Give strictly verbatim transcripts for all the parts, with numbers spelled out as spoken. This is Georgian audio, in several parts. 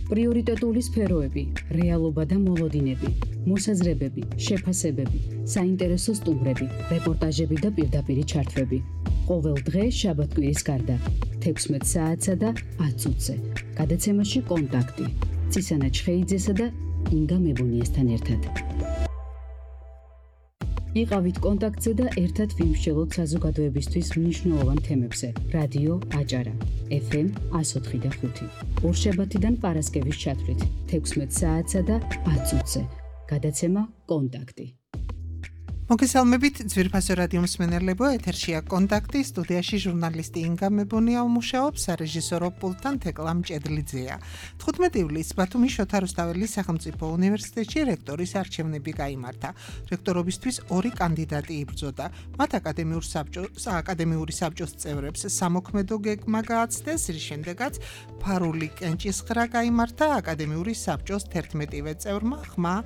პრიორიტეტული სფეროები, რეალობა და მოლოდინები, მოსაზრებები, შეფასებები, საინტერესო სტუმრები, რეპორტაჟები და პირდაპირი ჩართვები. ყოველ დღე შაბათ-კვირის გარდა, თექვსმეტ საათსა და ათ წუთზე. გადაცემაში კონტაქტი. ცისანა ჩხეიძესა და ინგა მებუნიესთან ერთად. იყავით კონტაქტზე და ერთად ვიმსჯელოთ საზოგადოებისთვის მნიშვნელოვან თემებზე. რადიო აჭარა, ეფ ემ εκατო ოთხი და ხუთი. ორშაბათიდან პარასკევის ჩათვლით, თექვსმეტ საათსა და ათ წუთზე. გადაცემა კონტაქტი. მოგესალმებით ძვირფასო რადიო მსმენელებო, ეთერშია კონტაქტი, სტუდიაში ჟურნალისტი ინგა მებუნია უმუშაობს, სარეჟისორო პულტთან თეკლა მჭედლიძეა. თხუთმეტი ივლისს ბათუმის შოთა რუსთაველის სახელმწიფო უნივერსიტეტში რექტორის არჩევნები გაიმართა. რექტორობისთვის ორი კანდიდატი იბრძოდა. მათ აკადემიურ საბჭოს, აკადემიური საბჭოს წევრებს სამოქმედო გეგმა გააცდეს, რის შემდეგაც ფარული კენჭისხრა გაიმართა აკადემიური საბჭოს თერთმეტივე წევრმა ხმა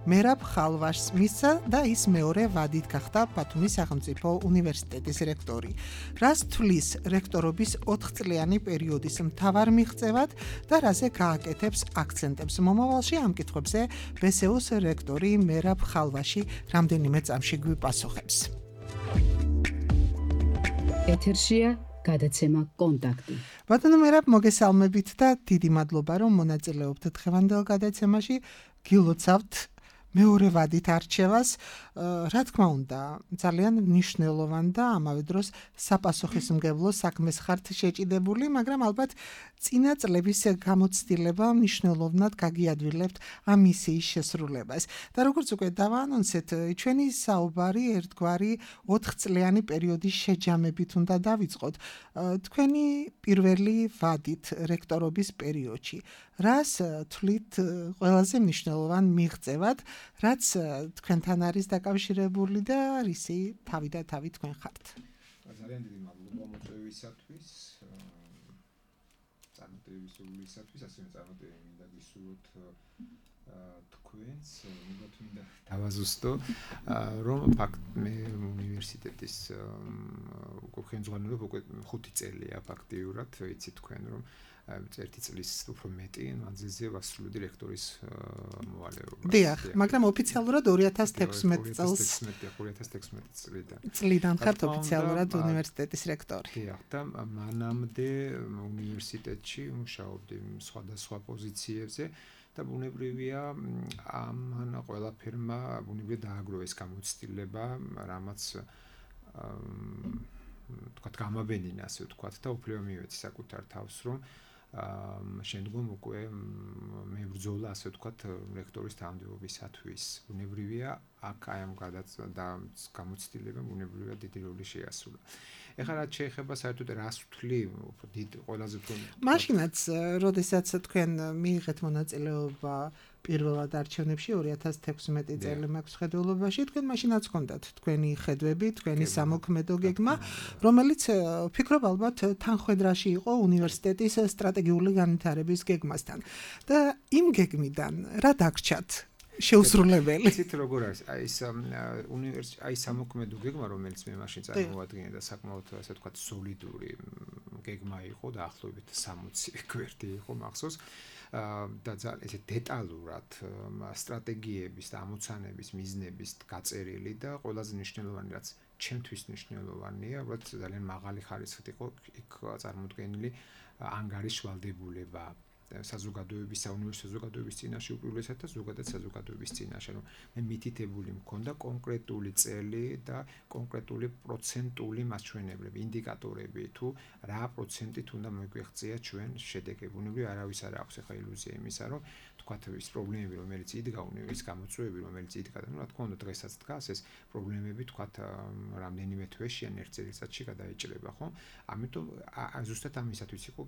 მერაბ ხალვაშს მისცა და ის მეორე ვადით გახდა ბათუმის სახელმწიფო უნივერსიტეტის რექტორი. რას თვლის რექტორობის ოთხწლიანი პერიოდის მთავარ მიღწევად და რაზე გააკეთებს აქცენტებს მომავალში, ამ კითხვებზე ბე ეს იუს რექტორი მერაბ ხალვაში რამდენიმე წამში გვიპასუხებს. ეთერშია გადაცემა კონტაქტი. ბატონო მერაბ, მოგესალმებით და დიდი მადლობა, რომ მონაწილეობთ დღევანდელ გადაცემაში. გილოცავთ მეორე ვადით არჩევას, რა თქმა უნდა, ძალიან მნიშვნელოვან და ამავე დროს საპასუხისმგებლო საქმეს ხართ შეჭიდებული, მაგრამ ალბათ წინა წლების გამოცდილება მნიშვნელოვნად გაგიადვილებთ ამ მისიის შესრულებას. და როგორც უკვე დავაანონსეთ, ჩვენი საუბარი ერთგვარი ოთხწლიანი პერიოდის შეჯამებით უნდა დავიწყოთ. თქვენი პირველი ვადით რექტორობის პერიოდში. რას თვლით ყველაზე მნიშვნელოვან მიღწევად, რაც თქვენთან არის დაკავშირებული და რისი თავი და თავი თქვენ ხართ? ძალიან დიდი მადლობა მოწვევისათვის, წარმატებისათვის, ასევე წარმატებები მინდა გისურვოთ თქვენს, მოგოთ მინდა დავაზუსტო, რომ ფაქტ მე უნივერსიტეტის უკვე ხელმძღვანელობ უკვე ხუთი წელია ფაქტიურად, ვიცით თქვენ რომ ერთი წლის უფრო მეტი მანძილზე ვასრულებდი რექტორის მოვალეობას. დიახ, მაგრამ ოფიციალურად ორი ათას თექვსმეტ წელს ორი ათას თექვსმეტ წლიდან. წლიდან ხართ ოფიციალურად უნივერსიტეტის რექტორი. დიახ, და მანამდე უნივერსიტეტში მუშაობდი სხვადასხვა პოზიციებზე და ბუნებრივია ამან ყველაფერმა ბუნებრივია დააგროვა ეს გამოცდილება, რამაც თქვათ გამაბენინა, ასე ვთქვათ და უფლება მივეცი საკუთარ თავს, რომ შემდგომ უკვე მე ვბრძოლა, ასე ვთქვათ, რექტორის თანამდებობისათვის. ბუნებრივია აქ აი ამ გამოცდილებამ ბუნებრივია დიდი როლი შეასრულა. ეხლა რაც შეეხება საერთოდ რას ვთვლი, დიდ ყველაზე უფრო მაშინაც, როდესაც თქვენ მიიღეთ მონაწილეობა პირველად არჩევნებში ორი ათას თექვსმეტი წელი მაქვს ხედველობაში, თქვენ მაშინაც ჰქონდათ თქვენი ხედვები, თქვენი სამოქმედო გეგმა, რომელიც ვფიქრობ ალბათ თანხვედრაში იყო უნივერსიტეტის სტრატეგიული განვითარების გეგმასთან. და იმ გეგმიდან რა დაგრჩათ? შეუსრულებელი. იცით როგორ არის? აი ეს უნივერსიტეტი, აი სამოქმედო გეგმა, რომელიც მე მაშინ წარმოვადგინე და საკმაოდ ასე ვთქვათ სოლიდური გეგმა იყო და ახლობით სამოცი გვერდი იყო მახსოვს. და ძალიან ესე დეტალურად სტრატეგიების და ამოცანების მიზნების გაწერილი და ყველაზე მნიშვნელოვანი რაც ჩემთვის მნიშვნელოვანია, უბრალოდ ძალიან მაღალი ხარისხით იყო იქ წარმოდგენილი ანგარის შვალდებულება საზოგადოების, საუნივერსიტეტო საზოგადოების წინაშე უპირველესად და ზოგადად საზოგადოების წინაშე, რომ მე მითითებული მქონდა კონკრეტული წელი და კონკრეტული პროცენტული მასჩვენებლები, ინდიკატორები თუ რა პროცენტით უნდა მოგვეღწია ჩვენ შედეგები. ბუნებრივია არავის არ აქვს ახლა ილუზია იმისა, რომ თქვათ ის პრობლემები, რომელიც იდგა უნივერსიტეტის გამოწვევები, რომელიც იდგა და რა თქმა უნდა დღესაც დგას ეს პრობლემები თქვათ რამდენიმე თვეში ან ერთ წელიწადში გადაიჭრება, ხო? ამიტომ ზუსტად ამისათვის იყო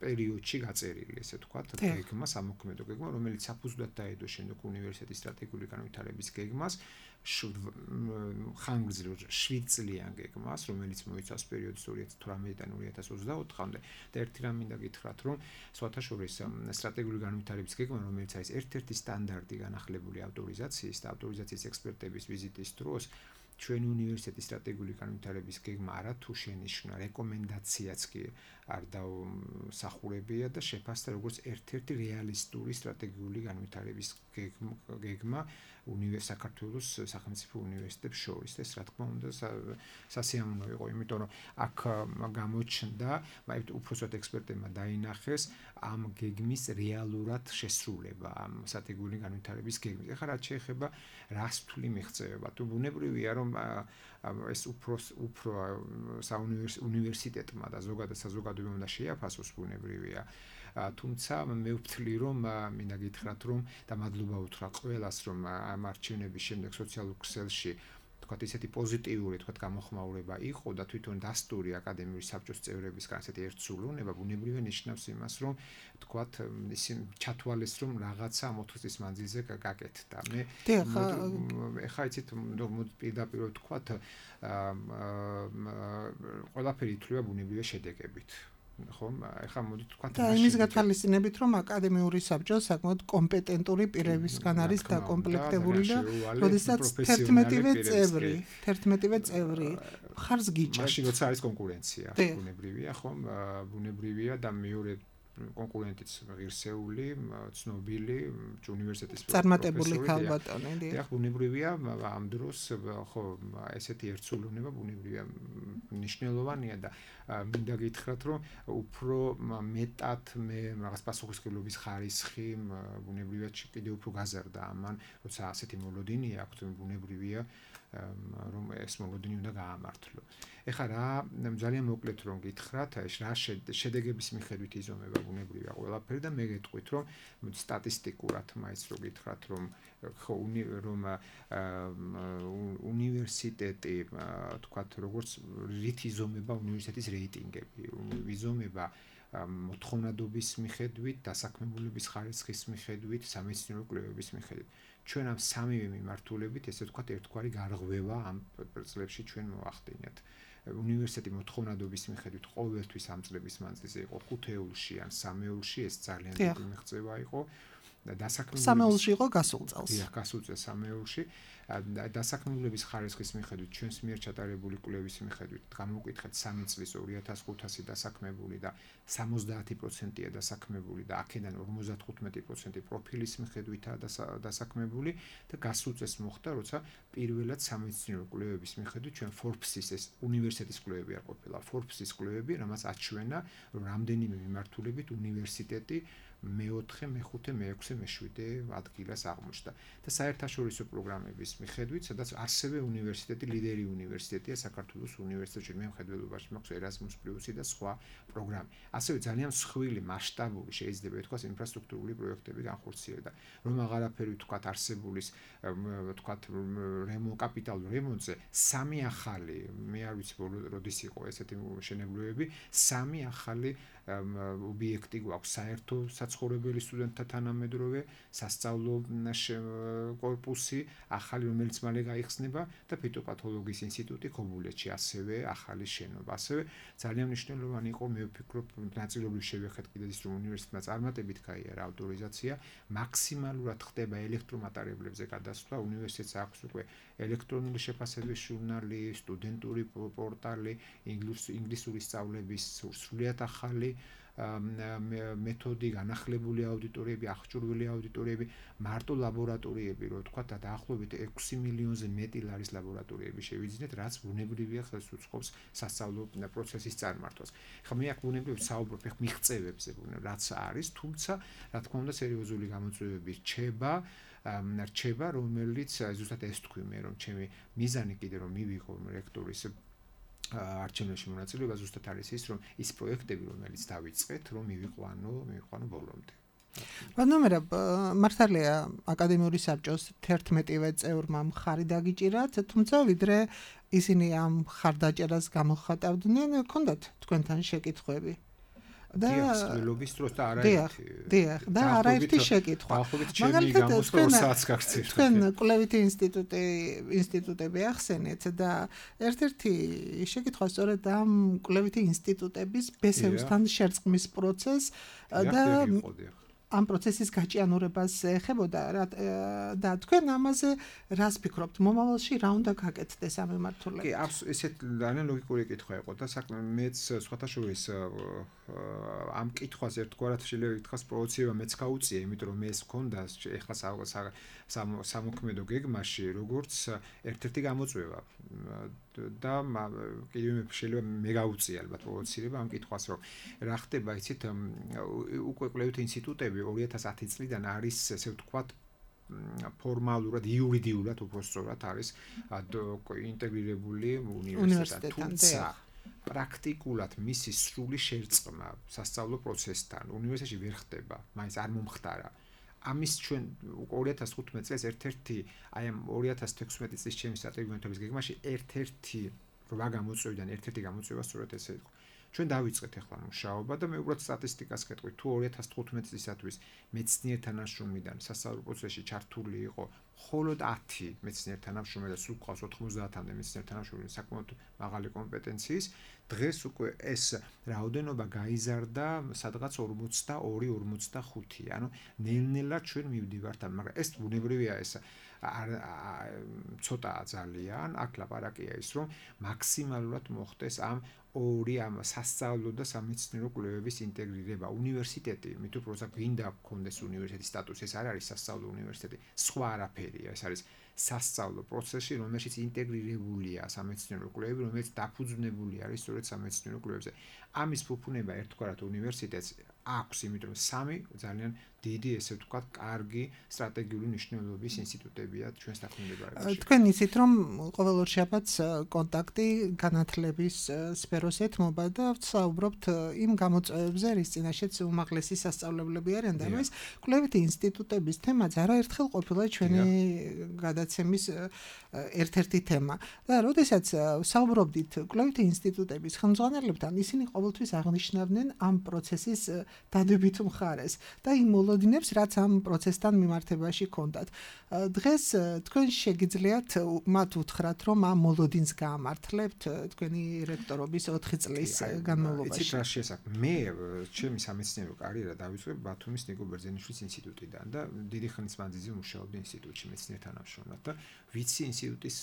პერიოდში გაწერილი, ესე ვთქვათ, გეგმა, სამოქმედო გეგმა, რომელიც საფუძვლად დაედო შემდეგ უნივერსიტეტის სტრატეგიული განვითარების გეგმას, ხანგრძლივ შვიდ წლიან გეგმას, რომელიც მოიცავს პერიოდს ორი ათას თვრამეტიდან ორი ათას ოცდაოთხამდე და ერთი რამ მინდა გითხრათ, რომ სხვათა შორის სტრატეგიული განვითარების გეგმა, რომელიც არის ერთ-ერთი სტანდარტი განახლებული ავტორიზაციის და ავტორიზაციის ექსპერტების ვიზიტის დროს ჩვენი უნივერსიტეტის სტრატეგიული განვითარების გეგმა არა თუ შენიშვნა, რეკომენდაციაც კი არ დავსახურებია და შეფასდა როგორც ერთ-ერთი რეალისტური სტრატეგიული განვითარების გეგმა საქართველოს სახელმწიფო უნივერსიტეტებს შორის და ეს რა თქმა უნდა სასიამოვნო იყო, იმიტომ რომ აქ გამოჩნდა, მაგრამ უბრალოდ ექსპერტებმა დაინახეს ამ გეგმის რეალურად შესრულება, ამ სტრატეგიული განვითარების გეგმის. ეხლა რაც შეეხება რას თვლი მიღწევება, თუ ბუნებრივია რომ ეს უფრო უფრო საუნივერსიტეტმა და ზოგადად საზოგადოებამ და შეაფასოს ბუნებრივია. თუმცა მე ვთვლი რომ მინდა გითხრათ რომ და მადლობა უთხრა ყველას რომ ამ არჩევნების შემდეგ სოციალურ ქსელში თქვათ ისეთი პოზიტიური თქვათ გამოხმაურება იყო და თვითონ დასტური აკადემიური საბჭოს წევრებისგან ესეთი ერთსულოვნება ბუნებრივია ნიშნავს იმას რომ თქვათ ისინი ჩათვალეს რომ რაღაცა ამ ოთხი წლის მანძილზე გაკეთდა. მე ეხა იცით პირდაპირ ვთქვათ ყველაფერი ითვლება ბუნებრივია შედეგებით. ხომ ეხლა მოდით თქვა და იმის გათვალისწინებით რომ აკადემიური საბჭო საკმაოდ კომპეტენტური პირებისგან არის დაკომპლექტებული და როდესაც თერთმეტივე წევრი თერთმეტივე წევრი ხარს გიჭერთ მაშინ როცა არის კონკურენცია ბუნებრივია ხომ ბუნებრივია და მეორე კონკურენტიც ღირსეული, ცნობილი უნივერსიტეტის წარმატებული ქალბატონი. დიახ, ბუნებრივია ამ დროს ხო ესეთი ერთსულოვნება ბუნებრივია მნიშვნელოვანია და მინდა გითხრათ რომ უფრო მეტად მე რაღაც პასუხისმგებლობის ხარისხი ბუნებრივია კიდევ უფრო გაზარდა ამან, როცა ასეთი მოლოდინი აქვს, ბუნებრივია რომ ეს მოლოდინი უნდა გაამართლო. ეხლა რა ძალიან მოკლედ რომ გითხრათ, რა შედეგების მიხედვით იზომება ბუნებრივია ყველაფერი და მე გეტყვით რომ სტატისტიკურად მაინც რო გითხრათ რომ ხო რომ უნივერსიტეტი თქვათ როგორც რით იზომება უნივერსიტეტის რეიტინგები, იზომება მოთხოვნადობის მიხედვით, დასაქმებულების ხარისხის მიხედვით, სამეცნიერო კვლევების მიხედვით. ჩვენ ამ სამივე მიმართულებით ესე ვთქვათ ერთგვარი გარღვევა ამ წლებში ჩვენ მოახდინეთ. უნივერსიტეტი მოთხოვნადობის მიხედვით ყოველთვის ამ წლების მანძილზე იყო ხუთეულში ან სამეულში, ეს ძალიან დიდი მიღწევა იყო. დასაქმებულების სამეულში იყო გასულ წელს. დიახ, გასულ წელს სამეულში. დასაქმებულების ხარისხის მიხედვით, ჩვენს მიერ ჩატარებული კვლევის მიხედვით, გამოვკითხეთ სამი წლის ორი ათას ხუთასი დასაქმებული და სამოცდაათი პროცენტია დასაქმებული და აქედან ორმოცდათხუთმეტი პროცენტი პროფილის მიხედვითაა დასაქმებული და გასულ წელს მოხდა, როცა პირველად სამეცნიერო კვლევების მიხედვით ჩვენ Forbes-ის ეს უნივერსიტეტის კვლევები არ ყოფილა, Forbes-ის კვლევები, რამაც აჩვენა, რომ რამდენიმე მიმართულებით უნივერსიტეტი მეოთხე, მეხუთე, მეექვსე, მეშვიდე ადგილას აღმოჩნდა და საერთაშორისო პროგრამების მიხედვით, სადაც ასევე უნივერსიტეტი, ლიდერი უნივერსიტეტია საქართველოს უნივერსიტეტში, მე მხედველობაში მაქვს Erasmus Plus-ი და სხვა პროგრამები. ასევე ძალიან მსხვილი, მასშტაბური შეიძლება ითქვას ინფრასტრუქტურული პროექტები განხორციელდა. რომ აღარაფერი ვთქვათ არსებულის, ვთქვათ რემო კაპიტალურ რემონტზე სამი ახალი, მე არ ვიცი როდის იყო ესეთი მშენებლობები, სამი ახალი ობიექტი გვაქვს საერთო საცხოვრებელი სტუდენტთა თანამედროვე სასწავლო კორპუსი ახალი რომელიც მალე გაიხსნება და ფიტოპათოლოგიის ინსტიტუტი ქობულეთში ასევე ახალი შენობა. ასევე ძალიან მნიშვნელოვანი იყო მე ვფიქრობ ნაწილობრივ შევეხეთ კიდეც ის რომ უნივერსიტეტმა წარმატებით გაიარა ავტორიზაცია მაქსიმალურად ხდება ელექტრომატარებლებზე გადასვლა. უნივერსიტეტს აქვს უკვე ელექტრონული შეფასების ჟურნალი, სტუდენტური პორტალი, ინგლისური სწავლების სრულიად ახალი მეთოდი, განახლებული აუდიტორიები, აღჭურვილი აუდიტორიები, მარტო ლაბორატორიები, რო ვთქვა, დაახლოებით ექვსი მილიონზე მეტი ლარის ლაბორატორიები შევიძინეთ, რაც ბუნებრივია ხელს უწყობს სასწავლო პროცესის წარმართვას. ხა მე აქ ბუნებრივია საუბრობ ხ მიღწევებზე, რაც არის, თუმცა რა თქმა უნდა სერიოზული გამოწვევები რჩება, რჩება, რომელიც ზუსტად ეს თქვი მე, რომ ჩემი მიზანი კიდე რომ მივიღო რექტორის არჩევნებში მონაწილეობა ზუსტად არის ის რომ ის პროექტები რომელიც დავიწყეთ რომ მივიყვანო მივიყვანო ბოლომდე. ბანომერა მართალია აკადემიური საბჭოს თერთმეტივე წევრმა მხარი დაგიჭირათ, თუმცა ვიდრე ისინი ამ ხარდაჭერას გამოხატავდნენ, ჰქონდათ თქვენთან შეკითხვები. და სკოლობის დროს და არაერთი დიახ და არაერთი შეკითხვა. მაგალითად თქვენ კვლევითი ინსტიტუტი ინსტიტუტები ახსენეთ და ერთ-ერთი შეკითხვა სწორედ ამ კვლევითი ინსტიტუტების ბესევსთან შერწყმის პროცესს და ამ პროცესის გაჭიანურებას ეხებოდა და თქვენ ამაზე რას ფიქრობთ? მომავალში რა უნდა გაკეთდეს ამ მიმართულებით? კი, ესეთ ძალიან ლოგიკური კითხვა იყო და საქმე მეც სხვათა შორის ამ კითხვას ერთგვარად შეიძლება ითქვას პროვოცირება მეც გაუწია, იმიტომ რომ მე ეს მქონდა ეხლა სამოქმედო გეგმაში როგორც ერთ-ერთი გამოწვევა და კიდევ შეიძლება მე გაუწია ალბათ პროვოცირება ამ კითხვას რომ რა ხდება იცით უკვე კვლევითი ინსტიტუტები ორი ათას ათი წლიდან არის ესე ვთქვათ ფორმალურად იურიდიულად უბრალოდ არის ინტეგრირებული უნივერსიტეტი თუმცა პრაქტიკულად მისი სრული შერწყმა სასწავლო პროცესთან უნივერსიტეტში ვერ ხდება, მაინც არ მომხდარა. ამის ჩვენ ორი ათას თხუთმეტ წელს ერთ-ერთი აი ამ ორი ათას თექვსმეტი წლის ჩემი სტრატეგიული მეთოდის გეგმაში ერთ-ერთი რვა გამოწვევიდან ერთ-ერთი გამოწვევა სწორედ ესე იყო. ჩვენ დავიწყეთ ახლა მუშაობა და მე უბრალოდ სტატისტიკას გეტყვი, თუ ორი ათას თხუთმეტ წლისათვის მეცნიერ თანამშრომლიდან სასწავლო პროცესში ჩართული იყო მხოლოდ ათი მეცნიერ თანამშრომელი და სულ ყავს ოთხმოცდაათამდე მეცნიერ თანამშრომელი საკმაოდ მაღალი კომპეტენციის, დღეს უკვე ეს რაოდენობა გაიზარდა სადღაც ორმოცდაორი ორმოცდახუთი. ანუ ნელ-ნელა ჩვენ მივდივართ ამ, მაგრამ ეს ბუნებრივია ეს ცოტაა ძალიან, აქ ლაპარაკია ის რომ მაქსიმალურად მოხდეს ამ ორი ამ სასწავლო და სამეცნიერო კვლევების ინტეგრირება. უნივერსიტეტი, მით უბრალოდ გვინდა გქონდეს უნივერსიტეტის სტატუსი, ეს არ არის სასწავლო უნივერსიტეტი, სხვა არაფერია, ეს არის სასწავლო პროცესი, რომელშიც ინტეგრირებულია სამეცნიერო კვლევები, რომელიც დაფუძნებული არის სწორედ სამეცნიერო კვლევებზე. ამის ფუფუნება ერთგვარად უნივერსიტეტს აქვს, იმიტომ რომ სამი ძალიან დიდი, ესე ვთქვათ, კარგი სტრატეგიული მნიშვნელობის ინსტიტუტებია ჩვენს დაქვემდებარებაში. თქვენ იცით, რომ ყოველ ორ შაბათს კონტაქტი განათლების სფეროს ეთმობა და ვსაუბრობთ იმ გამოწვევებზე, რის წინაშეც უმაღლესი სასწავლებლები არიან და ეს კვლევითი ინსტიტუტების თემაც არაერთხელ ყოფილა ჩვენი გადაცემის ერთ-ერთი თემა. და როდესაც ვსაუბრობდით კვლევითი ინსტიტუტების ხელმძღვანელებთან, ისინი ყოველთვის აღნიშნავდნენ ამ პროცესის დადებითი მხარეს და იმ მოლოდინებს, რაც ამ პროცესთან მიმართებაში ჰქონდათ. დღეს თქვენ შეგიძლიათ მათ უთხრათ, რომ ამ მოლოდინს გაამართლებთ თქვენი რექტორობის ოთხი წლის განმავლობაში. იცით რა შესაძლოა? მე ჩემი სამეცნიერო კარიერა დავიწყე ბათუმის ნიკო ბერძენიშვილის ინსტიტუტიდან და დიდი ხნის მანძილზე მუშაობდი ინსტიტუტში მეცნიერ თანამშრომლად და ვიცი ინსტიტუტის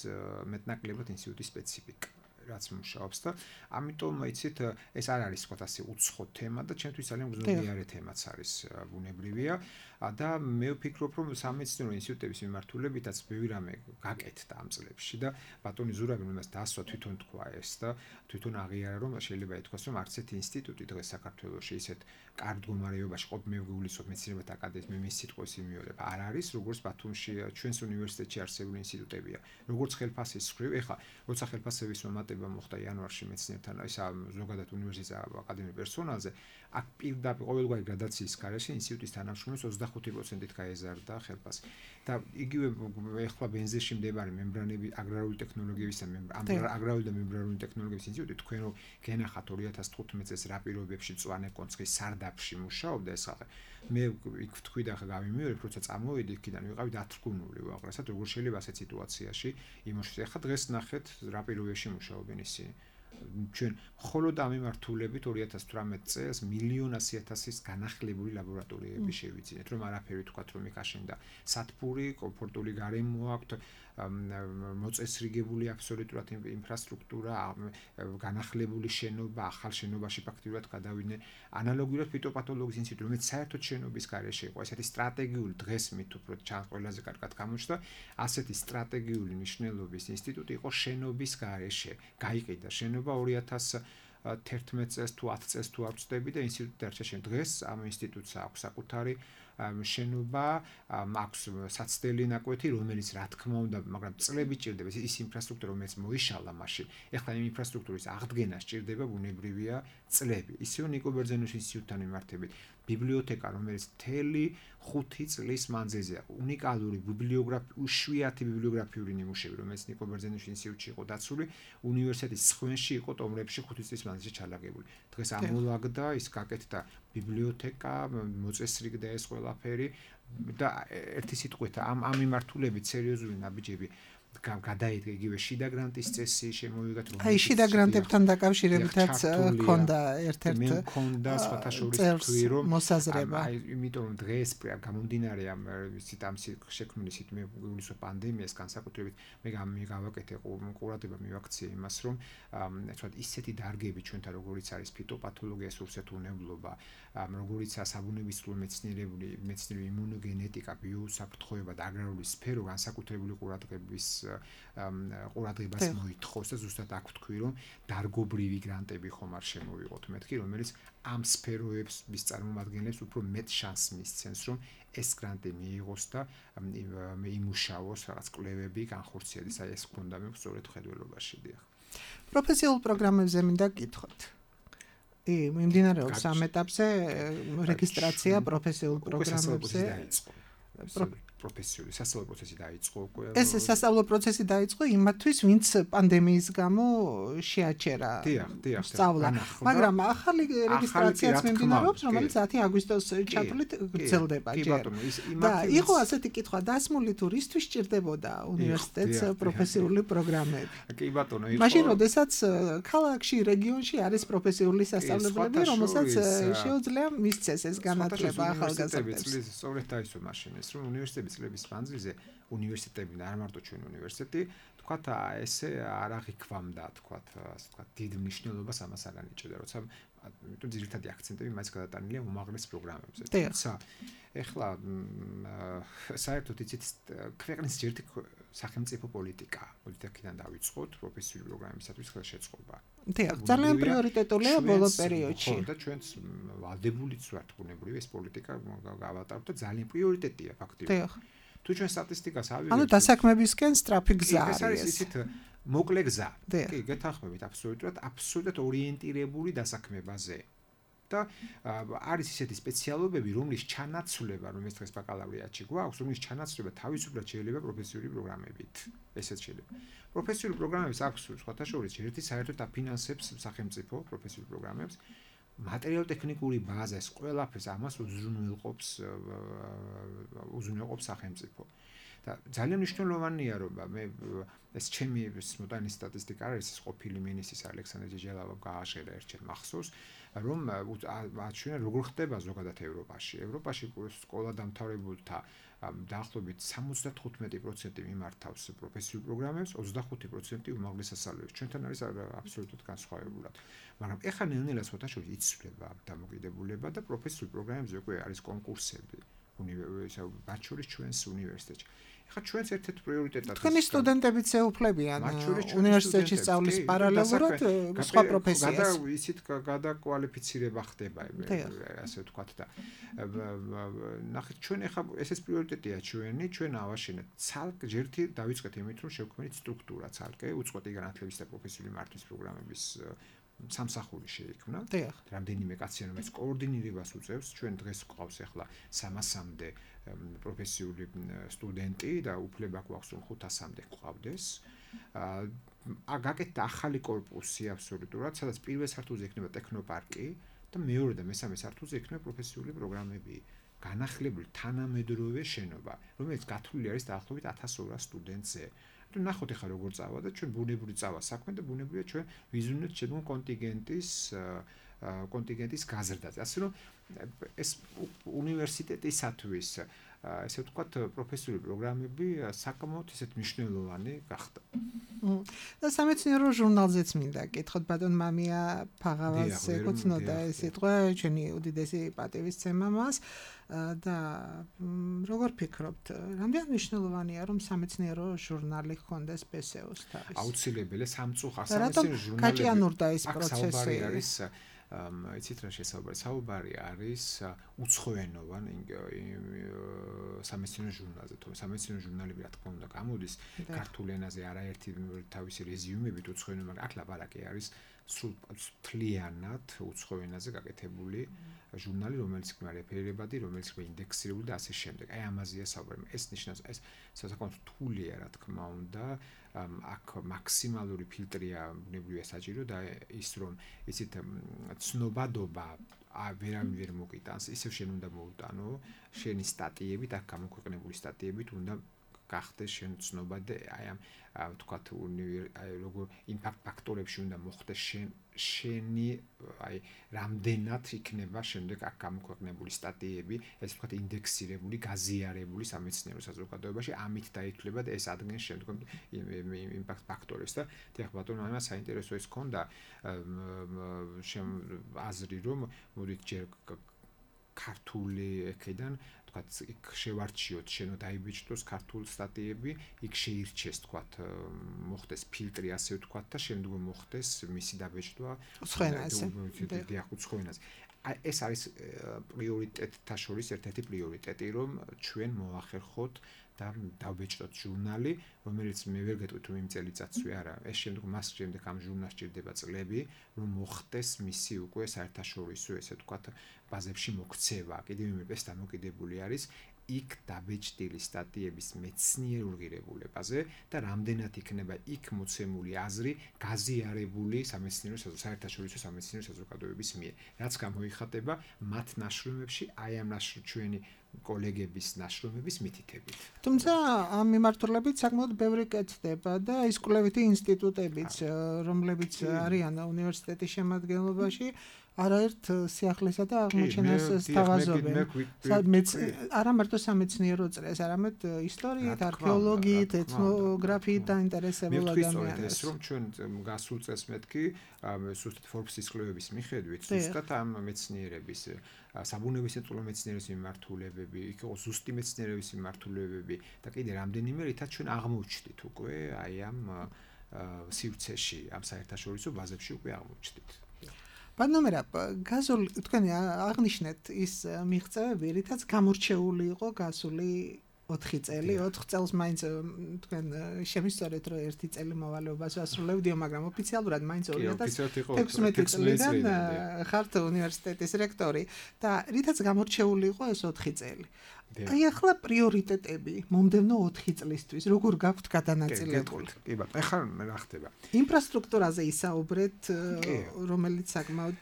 მეტნაკლებად ინსტიტუტის სპეციფიკა რაც მუშაობს და ამიტომ იცით ეს არ არის თქვათ ასე უცხო თემა და ჩემთვის ძალიან უზრუნველყოფილი თემაც არის ბუნებრივია და მე ვფიქრობ რომ სამეცნიერო ინსტიტუტების მიმართულებითაც ბევრი რამე გაკეთდა ამ წლებში და ბატონი ზურაბი რომელსაც დასვა თვითონ თქვა ეს და თვითონ აღიარა რომ შეიძლება ითქვას რომ არც ერთი ინსტიტუტი დღეს საქართველოში ისეთ კარგ მდგომარეობაში ყოფ მე ვგულისხმობ მეცნიერებათა აკადემიის მის სიტყვის იმიორებ არ არის როგორც ბათუმში ჩვენს უნივერსიტეტში არსებული ინსტიტუტებია როგორც ხელფასის მხრივ ეხლა როცა ხელფასების მომატება მოხდა იანვარში მეცნიერთან ისა ზოგადად უნივერსიტეტის აკადემიის პერსონალზე აქ პირდაპირ ყოველგვარი გრადაციის გარეშე ინსტიტუტის თანამშრომლებს ოცდახუთი პროცენტით გაეზარდა ხელფასი და იგივე ეხლა ბენზეში მდებარე მემბრანები აგრარული ტექნოლოგიების და აგრარული და მემბრანული ტექნოლოგიების ინსტიტუტი თქვენ რომ გენახათ ორი ათას თხუთმეტ წელს რა პირობებში მწვანე კონცხის სარდაფში მუშაობდა ეს ხალხი მე იქ ვთქვი და ხა გავიმეორებ როცა წამოვედი იქიდან ვიყავი დათრგუნული უაღრესად როგორ შეიძლება ასეთ სიტუაციაში იმუშავოს ეხლა დღეს ნახეთ რა პირობებში მუშაობენ ისინი ჩვენ მხოლოდ ამ მიმართულებით ორი ათას თვრამეტ წელს მილიონ ასი ათასის განახლებული ლაბორატორიები შევიძინეთ რომ არაფერი თქვათ რომ იქ აშენდა სათბური კომფორტული გარემო აქვთ მოწესრიგებული აბსოლუტურად ინფრასტრუქტურა განახლებული შენობა ახალ შენობაში ფაქტიურად გადავიდნენ ანალოგიურად ფიტოპათოლოგიის ინსტიტუტი რომელიც საერთოდ შენობის გარეშე იყო ესეთი სტრატეგიული დღეს მით უფრო ჩან ყველაზე კარგად გამოჩნდა ასეთი სტრატეგიული მნიშვნელობის ინსტიტუტი იყო შენობის გარეშე გაიყიდა შენობა ორი ათას თერთმეტ წელს თუ ათი წელს თუ არ ვწდები და ინსტიტუტი დარჩა შენ დღეს ამ ინსტიტუტს აქვს საკუთარი შენობა აქვს საცდელი ნაკვეთი რომელიც რა თქმა უნდა მაგრამ წლები ჭირდება ის ინფრასტრუქტურა რომელიც მოიშალა მაშინ ეხლა იმ ინფრასტრუქტურის აღდგენა სჭირდება ბუნებრივია წლები ისევ ნიკო ბერძენიშვილის ინსტიტუტთან მიმართებით ბიბლიოთეკა რომელიც მთელი ხუთი წლის მანძილზე უნიკალური ბიბლიოგრაფი უშვიათი ბიბლიოგრაფიული ნიმუშები რომელიც ნიკო ბერძენიშვილის ინსტიტუტში იყო დაცული უნივერსიტეტის სხვენში იყო ტომრებში ხუთი წლის მანძილზე ჩალაგებული დღეს ამოლაგდა ის გაკეთდა ბიბლიოთეკა მოწესრიგდა ეს ყველაფერი და ერთი სიტყვით ამ ამ მიმართულებით სერიოზული ნაბიჯები გადაიდგა იგივე შიდა გრანტის წესი შემოვიგათ რომ აი შიდა გრანტებთან დაკავშირებითაც ქონდა ერთ-ერთი მე მქონდა სხვათა შორის თქვი რომ მოსაზრება აი იმიტომ რომ დღეს გამომდინარე ამ ვიცით ამ შექმნისით მე ივლისის პანდემიას განსაკუთრებით მე გავაკეთე ყურადღება მივაქციე იმას რომ თქვათ ისეთი დარგები ჩვენთან როგორიც არის ფიტოპათოლოგია სურსათუნებლობა როგორიცაა საბუნებისმეტყველო მეცნიერებული მეცნიერული იმუნოგენეტიკა ბიოსაფრთხოება და აგრარული სფერო განსაკუთრებული ყურადღების ყურადღებას მოითხოვს და ზუსტად აქ ვთქვი რომ დარგობრივი გრანტები ხომ არ შემოვიღოთ მეთქი რომელიც ამ სფეროების წარმომადგენლებს უფრო მეტ შანსს მისცემს რომ ეს გრანტი მიიღოს და იმუშაოს რაღაც კვლევები განხორციელდეს აი ეს გქონდა მე სწორედ ხედველობაში დიახ პროფესიულ პროგრამებზე მინდა გკითხოთ ი მიმდინარეობს ამ ეტაპზე რეგისტრაცია პროფესიულ პროგრამებზე პროფესიული სასწავლო პროცესი დაიწყო უკვე ეს სასწავლო პროცესი დაიწყო იმათთვის ვინც პანდემიის გამო შეაჩერა სწავლა მაგრამ ახალი რეგისტრაციაც მიმდინარეობს რომელიც ათი აგვისტოს ჩათვლით გრძელდება ჯერ და იყო ასეთი კითხვა დასმული თუ რისთვის სჭირდებოდა უნივერსიტეტს პროფესიული პროგრამები კი ბატონო იყო მაშინ როდესაც ქალაქში რეგიონში არის პროფესიული სასწავლებლები რომელსაც შეუძლია მისცეს ეს განათლება ახალგაზრდებს სწორედ დაისვა მაშინ ეს რომ უნივერსიტეტი წლების მანძილზე უნივერსიტეტები და არ მარტო ჩვენ უნივერსიტეტი თქვათ ესე არ აღიქვამდა თქვათ ასე თქვათ დიდ მნიშვნელობას ამას არ ანიჭებდა როცა იმიტომ ძირითადი აქცენტები მაინც გადატანილია უმაღლეს პროგრამებზე თუმცა ეხლა საერთოდ იცით ქვეყნის ჯერტი სახელმწიფო პოლიტიკა პოლიტიკიდან დავიწყოთ პროფესიული პროგრამისათვის ხელშეწყობა დიახ ძალიან პრიორიტეტულია ბოლო პერიოდში და ჩვენც ვალდებულიც ვართ ბუნებრივი ეს პოლიტიკა გავატაროთ და ძალიან პრიორიტეტია ფაქტიურად დიახ თუ ჩვენ სტატისტიკას ავიღებთ ანუ დასაქმებისკენ სწრაფი გზა არის ეს არის ისეთ მოკლე გზა კი გეთანხმებით აბსოლუტურად აბსოლუტურად ორიენტირებული დასაქმებაზე და არის ისეთი სპეციალობები რომლის ჩანაცვლება რომელიც დღეს ბაკალავრიატში გვაქვს რომლის ჩანაცვლება თავისუფლად შეიძლება პროფესიული პროგრამებით ესეც შეიძლება პროფესიული პროგრამების აქვს სხვათა შორის ერთი საერთოდ აფინანსებს სახელმწიფო პროფესიულ პროგრამებს მატერიალურ-ტექნიკური ბაზა ეს ყველაფერს ამას უზრუნველყოფს უზრუნველყოფს სახელმწიფო და ძალიან მნიშვნელოვანია რომ მე ეს ჩემი მოდანი სტატისტიკა არის ეს ყოფილი მინისტრის ალექსანდრე ჯეჯელავამ გააშერა ერთჯერ მახსოვს რომ აჩვენა როგორ ხდება ზოგადად ევროპაში ევროპაში სკოლა დამთავრებულთა დაახლოებით სამოცდათხუთმეტი პროცენტი მიმართავს პროფესიულ პროგრამებს ოცდახუთი პროცენტი უმაღლეს სასწავლებლებს ჩვენთან არის აბსოლუტურად განსხვავებულად მაგრამ ეხლა ნელ-ნელა სხვათა შორის იცვლება დამოკიდებულება და პროფესიულ პროგრამებზე უკვე არის კონკურსები უნივერსიტეტში მათ შორის ჩვენს უნივერსიტეტში ეხლა ჩვენს ერთ-ერთ პრიორიტეტად თქვენი სტუდენტებიც ეუფლებიან უნივერსიტეტში სწავლის პარალელურად სხვა პროფესიას გადა ისეთ გადაკვალიფიცირება ხდება ასე ვთქვათ და ნახეთ ჩვენ ეხლა ესეც პრიორიტეტია ჩვენი ჩვენ ავაშენეთ ცალკე ჯერთი დავიწყეთ იმით რომ შევქმნით სტრუქტურა ცალკე უწყვეტი განათლების და პროფესიული მართვის პროგრამების სამსახური შეიქმნა. რამდენიმე კაცი რომელიც კოორდინირებას უწევს, ჩვენ დღეს გვყავს ახლა სამასამდე პროფესიული სტუდენტი და უფლება გვაქვს რომ ხუთასამდე გვყავდეს. აა გაკეთდა ახალი კორპუსი აბსოლუტურად, სადაც პირველ სართულზე იქნება ტექნოპარკი და მეორე და მესამე სართულზე იქნება პროფესიული პროგრამები. განახლებული თანამედროვე შენობა, რომელიც გათვლილი არის დაახლოებით ათას ორას სტუდენტზე. თუ ნახოთ ახლა როგორ წავა და ჩვენ ბუნებრივი წავა საქმე და ბუნებრივია ჩვენ ვიზუნებთ შედგენ კონტინგენტის კონტინგენტის გაზრდაზე. ასე რომ ეს უნივერსიტეტისათვის ესე ვთქვათ პროფესიული პროგრამები საკმაოდ ისეთ მნიშვნელოვანი გახდა. და სამეცნიერო ჟურნალზეც მინდა კითხოთ ბატონ მამია ფაღავას ეკუთვნოდა ეს სიტყვა ჩვენი უდიდესი პატივისცემა მას და როგორ ფიქრობთ რამდენ მნიშვნელოვანია რომ სამეცნიერო ჟურნალი ჰქონდეს პე ეს იუს თავის აუცილებელია სამწუხაროდ სამეცნიერო ჟურნალები გაჭიანურდა ეს პროცესი არის იცით რა შესაძლებელი საუბარი არის უცხოენოვან სამეცნიერო ჟურნალზე თუმცა სამეცნიერო ჟურნალები რა თქმა უნდა გამოდის ქართულ ენაზე არაერთი თავისი რეზიუმებით უცხოენოვან აქ ლაპარაკი არის სულ თლიანად უცხო ენაზე გაკეთებული ჟურნალი რომელიც იქნება რეფერირებადი რომელიც იქნება ინდექსირებული და ასე შემდეგ აი ამაზეა საუბარი ეს ნიშნავს ეს საკმაოდ რთულია რა თქმა უნდა აქ მაქსიმალური ფილტრია ბუნებრივია საჭირო და ის რომ ისეთ ცნობადობა ვერავინ ვერ მოგიტანს ისევ შენ უნდა მოუტანო შენი სტატიებით აქ გამოქვეყნებული სტატიებით უნდა გახდეს შენ ცნობა და აი ამ ვთქვათ აი როგორ იმპაქტ ფაქტორებში უნდა მოხდეს შენ შენი აი რამდენად იქნება შემდეგ აქ გამოქვეყნებული სტატიები, ეს ვთქვათ ინდექსირებული, გაზიარებული სამეცნიერო საზოგადოებაში, ამით დაითვლება და ეს ადგენს შემდგომ იმპაქტ ფაქტორებს და თქო ბატონო ამას საინტერესო ის ქონდა აზრი რომ მოდით ჯერ ქართული ეკიდან თქვათ იქ შევარჩიოთ შენო დაიბეჭდოს ქართულ სტატიები, იქ შეირჩეს თქვათ მოხდეს ფილტრი ასე ვთქვათ და შემდგომ მოხდეს მისი დაბეჭდვა უცხოენაზე. დიახ, უცხოენაზე. ეს არის პრიორიტეტთა შორის ერთ-ერთი პრიორიტეტი, რომ ჩვენ მოახერხოთ და დავბეჭდოთ ჟურნალი, რომელიც მე ვერ გეტყვით რომ იმ წელიწადსვე არა, ეს შემდგომ მას შემდეგ ამ ჟურნალს ჭირდება წლები, რომ მოხდეს მისი უკვე საერთაშორისო ესე ვთქვათ ბაზებში მოქცევა. კიდევ იმ ეს დამოკიდებული არის იქ დაბეჭდილი სტატიების მეცნიერულ ღირებულებაზე და რამდენად იქნება იქ მოცემული აზრი გაზიარებული სამეცნიერო საერთაშორისო სამეცნიერო საზოგადოების მიერ. რაც გამოიხატება მათ ნაშრომებში, აი ამ ნაშრომებში ჩვენი კოლეგების ნაშრომების მითითებით. თუმცა ამ მიმართულებით საკმაოდ ბევრი კეთდება და ის კვლევითი ინსტიტუტებიც, რომლებიც არიან უნივერსიტეტის შემადგენლობაში, არაერთ სიახლესა და აღმოჩენას სთავაზობენ. არა მარტო სამეცნიერო წრეს, არამედ ისტორიით, არქეოლოგიით, ეთნოგრაფიით დაინტერესებულ ადამიანებს. ეს რომ ჩვენ გასულ წელს მეთქი ზუსტად Forbes-ის კვლევების მიხედვით, ზუსტად ამ მეცნიერების საბუნებისმეტყველო მეცნიერების მიმართულებები, იქ იყო ზუსტი მეცნიერების მიმართულებები და კიდე რამდენიმე რითაც ჩვენ აღმოჩნდით უკვე აი ამ სივრცეში, ამ საერთაშორისო ბაზებში უკვე აღმოჩნდით. ბატონო, გასული თქვენი აღნიშნეთ ის მიღწევები, რითაც გამორჩეული იყო გასული ოთხი წელი, ოთხ წელს მაინც თქვენ შემისწორეთ რომ ერთი წელი მოვალეობას ვასრულებდიო, მაგრამ ოფიციალურად მაინც ორი ათას თექვსმეტი წლიდან ხართ უნივერსიტეტის რექტორი და რითაც გამორჩეული იყო ეს ოთხი წელი. აი ახლა პრიორიტეტები მომდევნო ოთხი წლისთვის როგორ გაქვთ გადანაწილებული? კი ბატონო, ეხლა რა ხდება? ინფრასტრუქტურაზე ისაუბრეთ, რომელიც საკმაოდ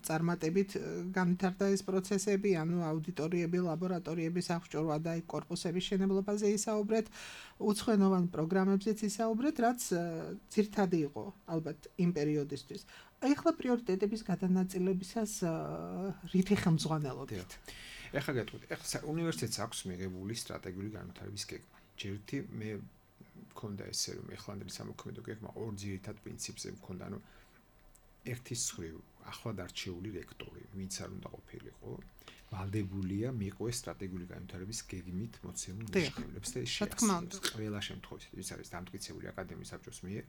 წარმატებით განვითარდა ეს პროცესები, ანუ აუდიტორიები, ლაბორატორიების აღჭურვა და აი კორპუსების შენებლობაზე ისაუბრეთ, უცხოენოვან პროგრამებზეც ისაუბრეთ, რაც ძირთადი იყო ალბათ იმ პერიოდისთვის. აი ახლა პრიორიტეტების გადანაწილებისას რითი ხელმძღვანელობთ? ეხლა გეტყვით, ეხლა უნივერსიტეტს აქვს მიღებული სტრატეგიული განვითარების გეგმა. ჯერითი მე მქონდა ესე რომ ეხლანდელი სამოქმედო გეგმა ორ ძირითად პრინციპზე მქონდა, ანუ ერთის მხრივ ახლად არჩეული რექტორი, ვინც არ უნდა ყოფილიყო, ვალდებულია მიყვეს სტრატეგიული განვითარების გეგმით მოცემულ მიღწევებს და შეასრულოს. ყველა შემთხვევაში, ის არის დამტკიცებული აკადემიის საბჭოს მიერ,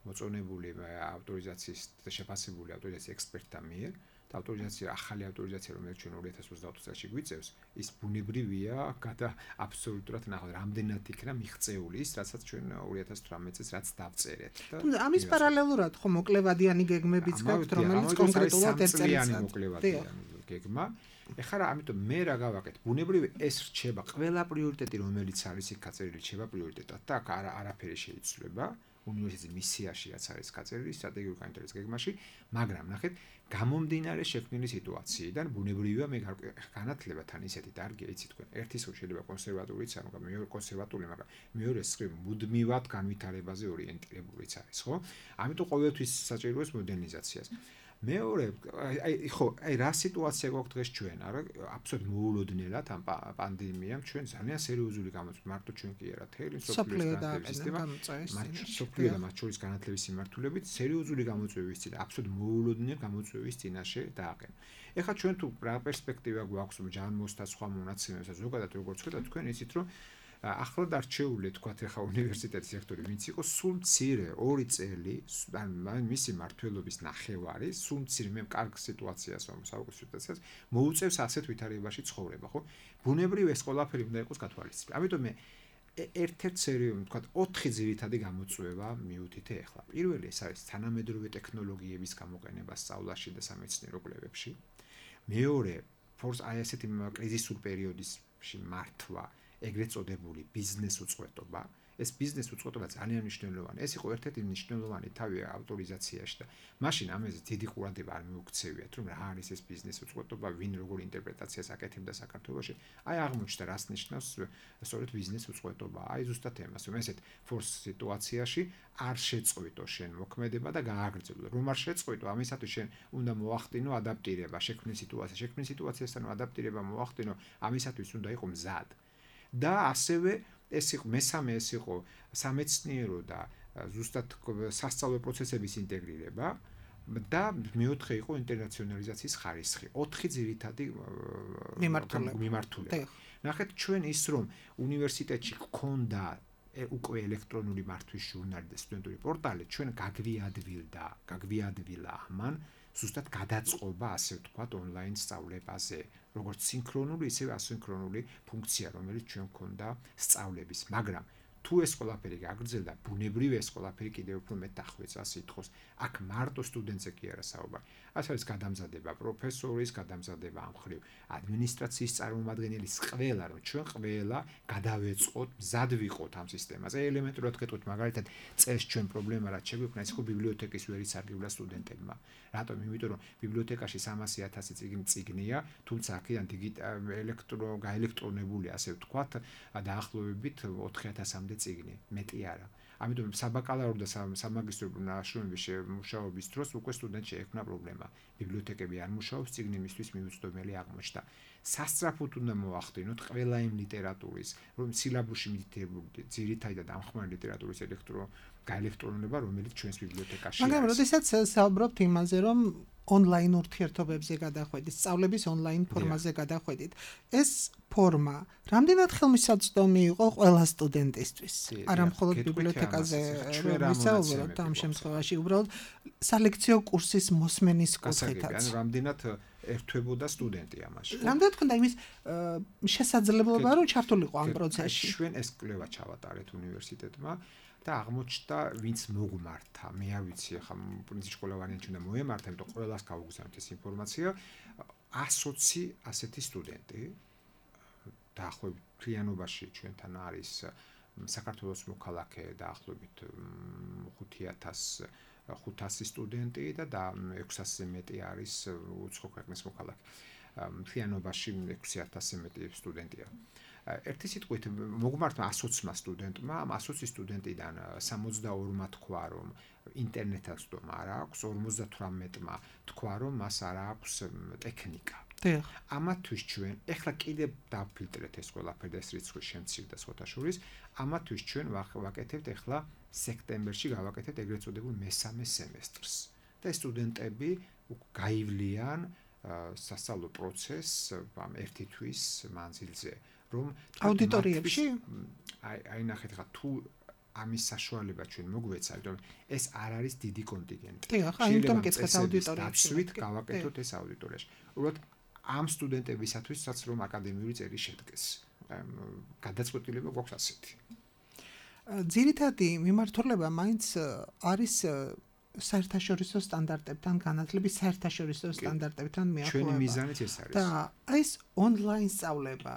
მოწონებული ავტორიზაციის და შეფასებული ავტორიზაციის ექსპერტთა მიერ. ავტორიზაცია, ახალი ავტორიზაცია, რომელიც ჩვენ ორი ათას ოცდაოთხ წელს გვიწევს, ის ბუნებრივია, გადა აბსოლუტურად ნახოთ, რამდენად იქნა მიღწეული ის, რასაც ჩვენ ორი ათას თვრამეტ წელს რაც დავწერეთ. თუმცა ამის პარალელურად ხო მოკლევადიანი გეგმებიც გაქვთ, რომელიც კონკრეტულად ერთ წელიწადს მოკლევადიანი გეგმა. ეხლა რა, ამიტომ მე რა გავაკეთე? ბუნებრივი ეს რჩება ყველა პრიორიტეტი, რომელიც არის იქ გაწერილი, რჩება პრიორიტეტად და აქ არაფერი შეიცვლება. უნივერსიტეტის მისიაში რაც არის გაწერილი სტრატეგიული განვითარების გეგმაში, მაგრამ ნახეთ, გამომდინარე შექმნილი სიტუაციიდან ბუნებრივია მე განათლება თან ისეთი დარგია, იცი თქვენ, ერთის რო შეიძლება კონსერვატორიც არ მაგრამ მეორე კონსერვატორი, მაგრამ მეორე სხრივ მუდმივად განვითარებაზე ორიენტირებულიც არის, ხო? ამიტომ ყოველთვის საჭიროა მოდერნიზაციას. მეორე, აი ხო, აი რა სიტუაცია გვაქვს დღეს ჩვენ, არა, აბსოლუტურად მოულოდნელად ამ პანდემიამ ჩვენ ძალიან სერიოზული გამოწვევა, მარტო ჩვენ კი არა, თელი სოფლიო სისტემა, სოფლიო და მათ შორის განათლების მიმართულებით სერიოზული გამოწვევის წინ, აბსოლუტურად მოულოდნელ გამოწვევის წინაშე დააყენო. ეხლა ჩვენ თუ რა პერსპექტივა გვაქვს ჯანმოს და სხვა მონაცემებსა ზოგადად როგორც ხედავთ, თქვენ იცით რომ ახლად არჩეული თქვათ ეხა უნივერსიტეტის რექტორი ვინც იყო სულ მცირე ორი წელი ან მისი მართლობის ნახევარი სულ მცირე მე კარგ სიტუაციას რომ საუკეთესოა მოუწევს ასეთ ვითარებაში ცხოვრება ხო ბუნებრივ ეს ყველაფერი უნდა იყოს გათვალისწინებული ამიტომ მე ერთ-ერთ სერიოზული თქვათ ოთხი ძირითადი გამოწვევა მივუთითე ეხლა პირველი ეს არის თანამედროვე ტექნოლოგიების გამოყენება სწავლაში და სამეცნიერო კვლევებში მეორე ფორს აი ასეთი კრიზისულ პერიოდში მართვა ეგრეთ წოდებული ბიზნეს უწყვეტობა ეს ბიზნეს უწყοτობა ძალიან მნიშვნელოვანია. ეს იყო ერთ-ერთი მნიშვნელოვანი თავი ავტორიზაციაში და მაშინ ამაზე დიდი ყურადღება არ მიუქცევიათ, რომ რა არის ეს ბიზნეს უწყοτობა, ვინ როგორ ინტერპრეტაციას აკეთებდა საქართველოში. აი აღმოჩნდა რას ნიშნავს სწორედ ბიზნეს უწყοτობა. აი ზუსტად ემას, რომ ესეთ ფორს სიტუაციაში არ შეწყვიტო შენ მოქმედება და გააგრძელო. რომ არ შეწყვიტო, ამისათვის შენ უნდა მოახდინო ადაპტირება შექმნილ სიტუაციას. შექმნილ სიტუაციასთან ადაპტირება მოახდინო, ამისათვის უნდა იყო მზად. და ასევე ეს იყო მესამე ეს იყო სამეცნიერო და ზუსტად სასწავლო პროცესების ინტეგრირება და მეოთხე იყო ინტერნაციონალიზაციის ხარისხი. ოთხი ძირითადი მიმართულება. ნახეთ ჩვენ ის რომ უნივერსიტეტში გქონდა უკვე ელექტრონული მართვის ჟურნალი და სტუდენტური პორტალი, ჩვენ გაგვიადვილდა, გაგვიადვილა ამან ზუსტად გადაწყობა, ასე ვთქვათ, ონლაინ სწავლებაზე, როგორც სინქრონული, ისევე ასინქრონული ფუნქცია, რომელიც ჩვენ გქონდა სწავლების, მაგრამ თუ ეს ყველაფერი გაგრძელდა, ბუნებრივია ეს ყველაფერი კიდევ უფრო მეტ დახვეწა სიტყვის. აქ მარტო სტუდენტზე კი არა საუბარი. ეს არის გადამზადება პროფესორის, გადამზადება ამ ხრივ ადმინისტრაციის წარმომადგენლის ყველა, რომ ჩვენ ყველა გადავეწყოთ, მზად ვიყოთ ამ სისტემაზე. ელემენტურად გეტყვით, მაგალითად, წელს ჩვენ პრობლემა რაც შეგვიქმნა, ის იყო ბიბლიოთეკის ვერი სარგებლა სტუდენტებმა. რატომ? იმიტომ რომ ბიბლიოთეკაში სამასი ათასი წიგნი წიგნია, თუმცა აქედან ელექტრო გაელექტრონებული, ასე ვთქვათ, დაახლოებით ოთხი ათასამდე წიგნი, მეტი არა. ამიტომ საბაკალავრო და სამაგისტრო ნაშრომების მუშაობის დროს უკვე სტუდენტში ექნა პრობლემა. ბიბლიოთეკები არ მუშაობს, წიგნი მისთვის მიუწვდომელი აღმოჩნდა. სასწრაფოდ უნდა მოახდინოთ ყველა იმ ლიტერატურის, რომ სილაბუსში მითითებული ძირითადი და დამხმარე ლიტერატურის ელექტრო გაელექტრონება, რომელიც ჩვენს ბიბლიოთეკაში არის. მაგრამ როდესაც საუბრობთ იმაზე, რომ ონლაინ ურთიერთობებზე გადახვედით, სწავლების ონლაინ ფორმაზე გადახვედით, ეს ფორმა რამდენად ხელმისაწვდომი იყო ყველა სტუდენტისთვის? არა მხოლოდ ბიბლიოთეკაზე ვისაუბროთ ამ შემთხვევაში, უბრალოდ სალექციო კურსის მოსმენის კუთხითაც. ანუ რამდენად ერთვებოდა სტუდენტი ამაში. რამდენად ქონდა იმის შესაძლებლობა, რომ ჩართულიყო ამ პროცესში? ჩვენ ეს კვლევა ჩავატარეთ უნივერსიტეტმა და აღმოჩნდა, ვინც მოგმართა, მე არ ვიცი, ახლა პრინციპში ყველა ვარიანტი უნდა მოემართა, იმიტომ ყველას გავუგზავნეთ ეს ინფორმაცია, ათი ასეთი სტუდენტი დაახლოებით მთლიანობაში ჩვენთან არის საქართველოს მოქალაქე დაახლოებით ხუთასი სტუდენტი და ექვსასზე მეტი არის უცხო ქვეყნის მოქალაქე. მთლიანობაში ექვსი ათასზე მეტი სტუდენტია. ერთი სიტყვით მოგმართმა ათი სტუდენტმა, ამ ათი სტუდენტიდან სამოცდაორმა თქვა, რომ ინტერნეტად სდომა არ აქვს, ორმოცდათვრამეტმა თქვა, რომ მას არ აქვს ტექნიკა. ამათვის ჩვენ ეხლა კიდევ დავფილტრეთ ეს ყველაფერი და ეს რიცხვი შემცირდა სხვათა შორის, ამათვის ჩვენ ვაკეთებთ ეხლა სექტემბერში გავაკეთებთ ეგრეთ წოდებულ მესამე სემესტრს. და სტუდენტები გაივლიან სასწავლო პროცესს ამ ერთი თვის მანძილზე, რომ აუდიტორიებში აი აი ნახეთ ხა თუ ამის საშუალება ჩვენ მოგვეცა, იმიტომ ეს არ არის დიდი კონტინგენტი. ახლა იმიტომ მკითხეთ აუდიტორიებში. დავსვით გავაკეთოთ ეს აუდიტორიაში. უბრალოდ ამ სტუდენტებისათვისაც რომ აკადემიური წერი შედგეს. გადაწყვეტილება გვაქვს ასეთი. ძირითადი მიმართულება მაინც არის საერთაშორისო სტანდარტებთან განათლების საერთაშორისო სტანდარტებთან მიახლოება. ჩვენი მიზანიც ეს არის. და ეს ონლაინ სწავლება